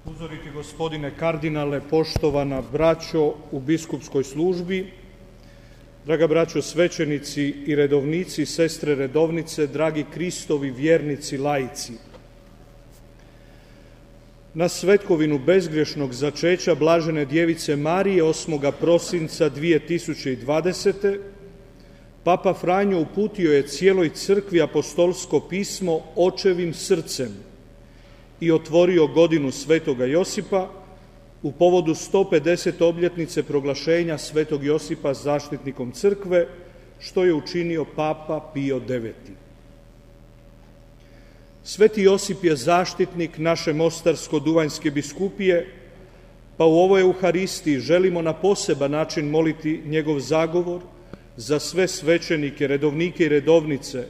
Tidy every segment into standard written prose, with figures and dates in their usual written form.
Uzoriti gospodine kardinale, poštovana braćo u biskupskoj službi, draga braćo svećenici i redovnici, sestre redovnice, dragi Kristovi vjernici laici. Na svetkovinu bezgrešnog začeća Blažene djevice Marije 8. prosinca 2020. Papa Franjo uputio je cijeloj crkvi apostolsko pismo Očevim srcem i otvorio godinu Svetoga Josipa u povodu 150. obljetnice proglašenja Svetog Josipa zaštitnikom crkve, što je učinio Papa Pio IX. Sveti Josip je zaštitnik naše Mostarsko-Duvanjske biskupije, pa u ovoj Euharistiji želimo na poseban način moliti njegov zagovor za sve svećenike, redovnike i redovnice,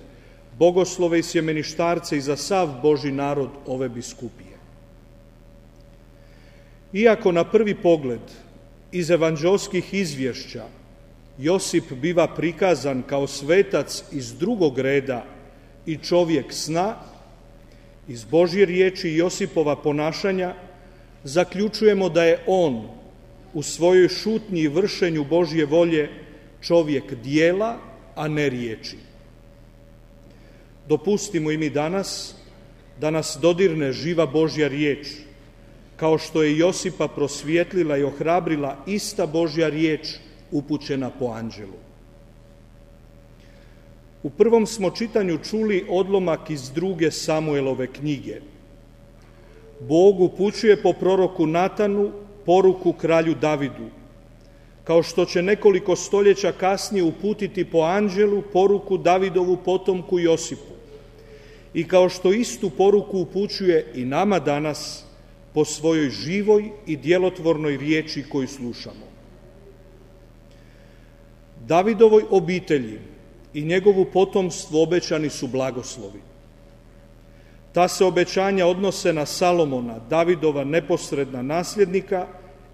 bogoslove i sjemeništarce i za sav Božji narod ove biskupije. Iako na prvi pogled iz evanđelskih izvješća Josip biva prikazan kao svetac iz drugog reda i čovjek sna, iz Božje riječi i Josipova ponašanja zaključujemo da je on u svojoj šutnji i vršenju Božje volje čovjek dijela, a ne riječi. Dopustimo i mi danas da nas dodirne živa Božja riječ, kao što je Josipa prosvijetlila i ohrabrila ista Božja riječ upućena po anđelu. U prvom smo čitanju čuli odlomak iz 2. Samuelove knjige. Bog upućuje po proroku Natanu poruku kralju Davidu, kao što će nekoliko stoljeća kasnije uputiti po anđelu poruku Davidovu potomku Josipu i kao što istu poruku upućuje i nama danas po svojoj živoj i djelotvornoj riječi koju slušamo. Davidovoj obitelji i njegovu potomstvu obećani su blagoslovi. Ta se obećanja odnose na Salomona, Davidova neposredna nasljednika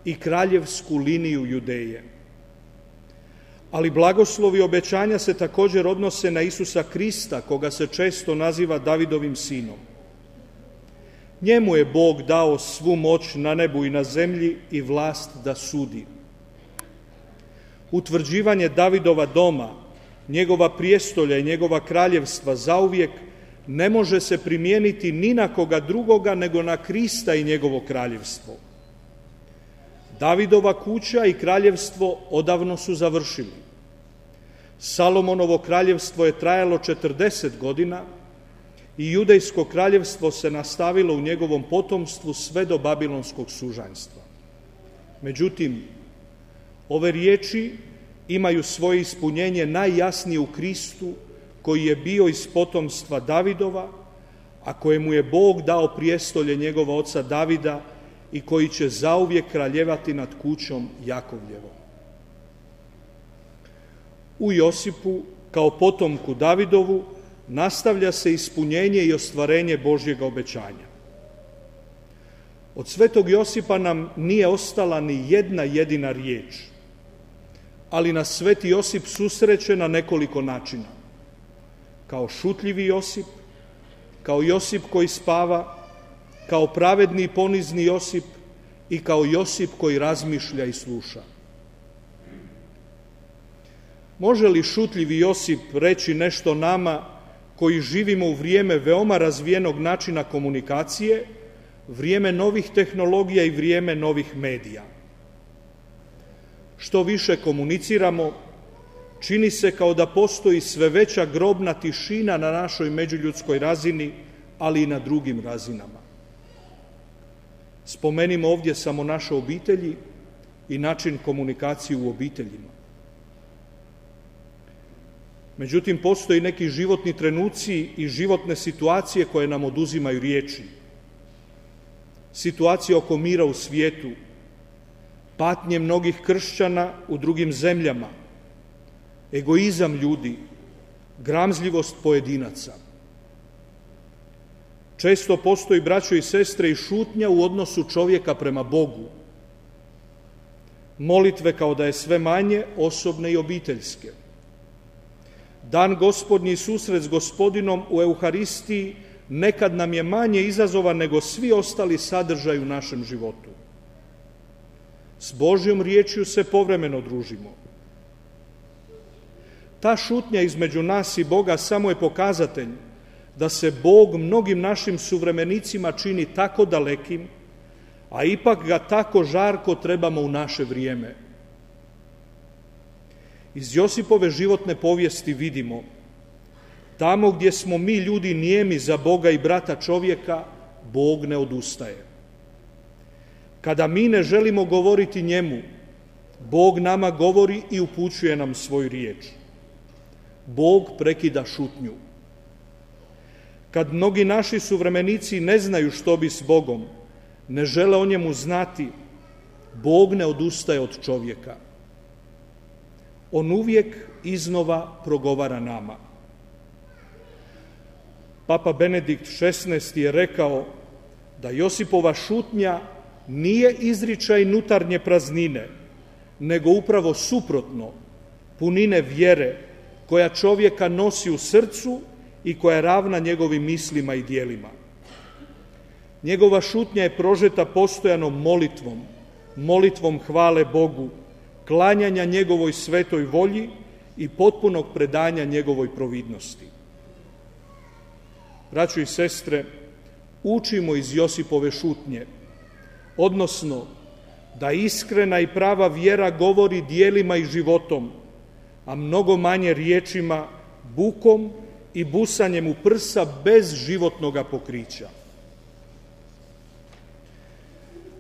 i kraljevsku liniju Judeje. Ali blagoslovi obećanja se također odnose na Isusa Krista, koga se često naziva Davidovim sinom. Njemu je Bog dao svu moć na nebu i na zemlji i vlast da sudi. Utvrđivanje Davidova doma, njegova prijestolja i njegova kraljevstva zauvijek ne može se primijeniti ni na koga drugoga nego na Krista i njegovo kraljevstvo. Davidova kuća i kraljevstvo odavno su završili. Salomonovo kraljevstvo je trajalo 40 godina i judejsko kraljevstvo se nastavilo u njegovom potomstvu sve do babilonskog sužanjstva. Međutim, ove riječi imaju svoje ispunjenje najjasnije u Kristu, koji je bio iz potomstva Davidova, a kojemu je Bog dao prijestolje njegova oca Davida i koji će zauvijek kraljevati nad kućom Jakovljevom. U Josipu, kao potomku Davidovu, nastavlja se ispunjenje i ostvarenje Božjega obećanja. Od svetog Josipa nam nije ostala ni jedna jedina riječ, ali nas sveti Josip susreće na nekoliko načina. Kao šutljivi Josip, kao Josip koji spava, kao pravedni i ponizni Josip i kao Josip koji razmišlja i sluša. Može li šutljivi Josip reći nešto nama koji živimo u vrijeme veoma razvijenog načina komunikacije, vrijeme novih tehnologija i vrijeme novih medija? Što više komuniciramo, čini se kao da postoji sve veća grobna tišina na našoj međuljudskoj razini, ali i na drugim razinama. Spomenimo ovdje samo naše obitelji i način komunikacije u obiteljima. Međutim, postoji neki životni trenuci i životne situacije koje nam oduzimaju riječi. Situacija oko mira u svijetu, patnje mnogih kršćana u drugim zemljama, egoizam ljudi, gramzljivost pojedinaca. Često postoji, braćo i sestre, i šutnja u odnosu čovjeka prema Bogu. Molitve kao da je sve manje, osobne i obiteljske. Dan Gospodnji i susret s Gospodinom u Euharistiji nekad nam je manje izazovan nego svi ostali sadržaji u našem životu. S Božjom riječju se povremeno družimo. Ta šutnja između nas i Boga samo je pokazatelj da se Bog mnogim našim suvremenicima čini tako dalekim, a ipak ga tako žarko trebamo u naše vrijeme. Iz Josipove životne povijesti vidimo, tamo gdje smo mi ljudi nijemi za Boga i brata čovjeka, Bog ne odustaje. Kada mi ne želimo govoriti njemu, Bog nama govori i upućuje nam svoju riječ. Bog prekida šutnju. Kad mnogi naši suvremenici ne znaju što bi s Bogom, ne žele o njemu znati, Bog ne odustaje od čovjeka. On uvijek iznova progovara nama. Papa Benedikt XVI je rekao da Josipova šutnja nije izričaj nutarnje praznine, nego upravo suprotno, punine vjere koja čovjeka nosi u srcu i koja je ravna njegovim mislima i djelima. Njegova šutnja je prožeta postojanom molitvom hvale Bogu, klanjanja njegovoj svetoj volji i potpunog predanja njegovoj providnosti. Braćo i sestre, učimo iz Josipove šutnje, odnosno da iskrena i prava vjera govori djelima i životom, a mnogo manje riječima, bukom i busanjem u prsa bez životnoga pokrića.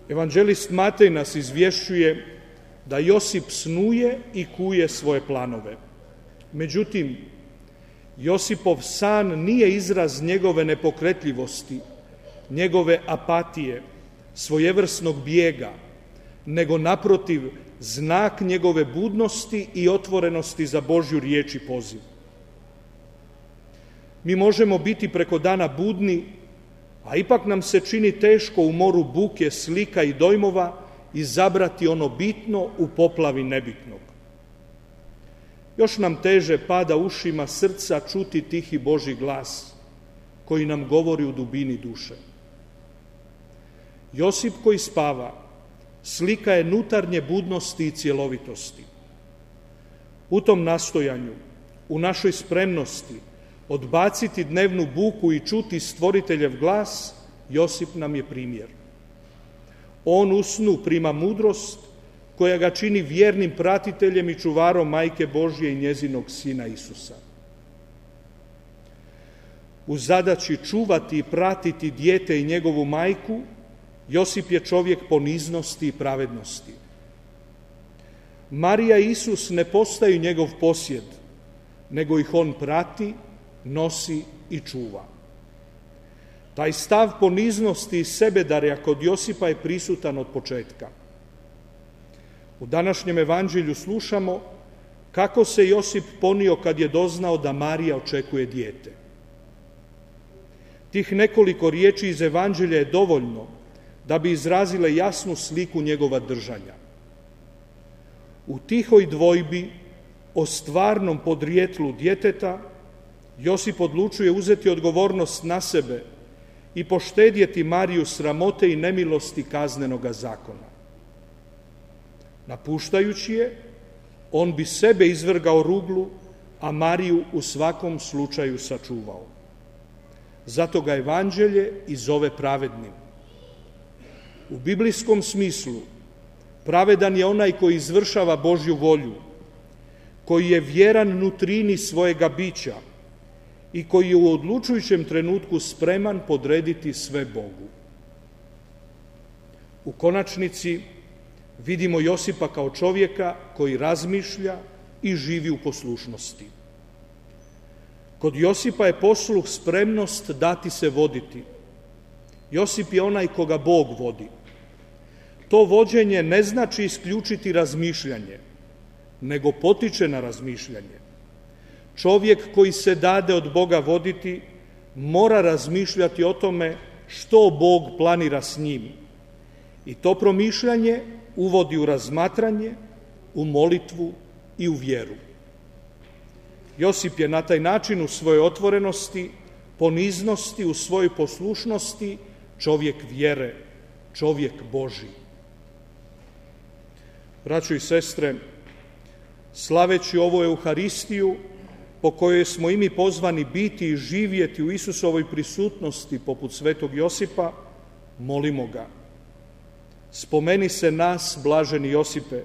Evanđelist Matej nas izvješćuje da Josip snuje i kuje svoje planove. Međutim, Josipov san nije izraz njegove nepokretljivosti, njegove apatije, svojevrsnog bijega, nego naprotiv znak njegove budnosti i otvorenosti za Božju riječ i poziv. Mi možemo biti preko dana budni, a ipak nam se čini teško u moru buke, slika i dojmova izabrati ono bitno u poplavi nebitnog. Još nam teže pada ušima srca čuti tihi Božji glas koji nam govori u dubini duše. Josip koji spava slika je nutarnje budnosti i cjelovitosti. U tom nastojanju, u našoj spremnosti odbaciti dnevnu buku i čuti stvoriteljev glas, Josip nam je primjer. On u snu prima mudrost koja ga čini vjernim pratiteljem i čuvarom Majke Božje i njezinog Sina Isusa. U zadaći čuvati i pratiti dijete i njegovu majku, Josip je čovjek poniznosti i pravednosti. Marija i Isus ne postaju njegov posjed, nego ih on prati, nosi i čuva. Taj stav poniznosti i sebedarja kod Josipa je prisutan od početka. U današnjem evanđelju slušamo kako se Josip ponio kad je doznao da Marija očekuje dijete. Tih nekoliko riječi iz evanđelja je dovoljno da bi izrazile jasnu sliku njegova držanja. U tihoj dvojbi o stvarnom podrijetlu djeteta Josip odlučuje uzeti odgovornost na sebe i poštedjeti Mariju sramote i nemilosti kaznenoga zakona. Napuštajući je, on bi sebe izvrgao ruglu, a Mariju u svakom slučaju sačuvao. Zato ga evanđelje i zove pravednim. U biblijskom smislu pravedan je onaj koji izvršava Božju volju, koji je vjeran nutrini svojega bića i koji je u odlučujućem trenutku spreman podrediti sve Bogu. U konačnici vidimo Josipa kao čovjeka koji razmišlja i živi u poslušnosti. Kod Josipa je posluh spremnost dati se voditi. Josip je onaj koga Bog vodi. To vođenje ne znači isključiti razmišljanje, nego potiče na razmišljanje. Čovjek koji se dade od Boga voditi mora razmišljati o tome što Bog planira s njim. I to promišljanje uvodi u razmatranje, u molitvu i u vjeru. Josip je na taj način u svojoj otvorenosti poniznosti, u svojoj poslušnosti, čovjek vjere, čovjek Božji. Braćo i sestre, slaveći ovu Euharistiju, po kojoj smo i mi pozvani biti i živjeti u Isusovoj prisutnosti poput svetog Josipa, molimo ga. Spomeni se nas, blaženi Josipe,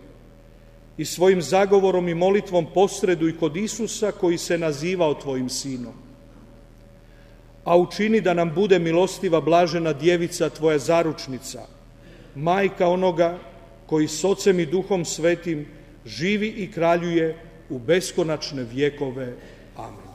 i svojim zagovorom i molitvom posreduj kod Isusa koji se nazivao tvojim sinom. A učini da nam bude milostiva blažena djevica tvoja zaručnica, majka onoga koji s Ocem i Duhom Svetim živi i kraljuje u beskonačne vjekove. Amen.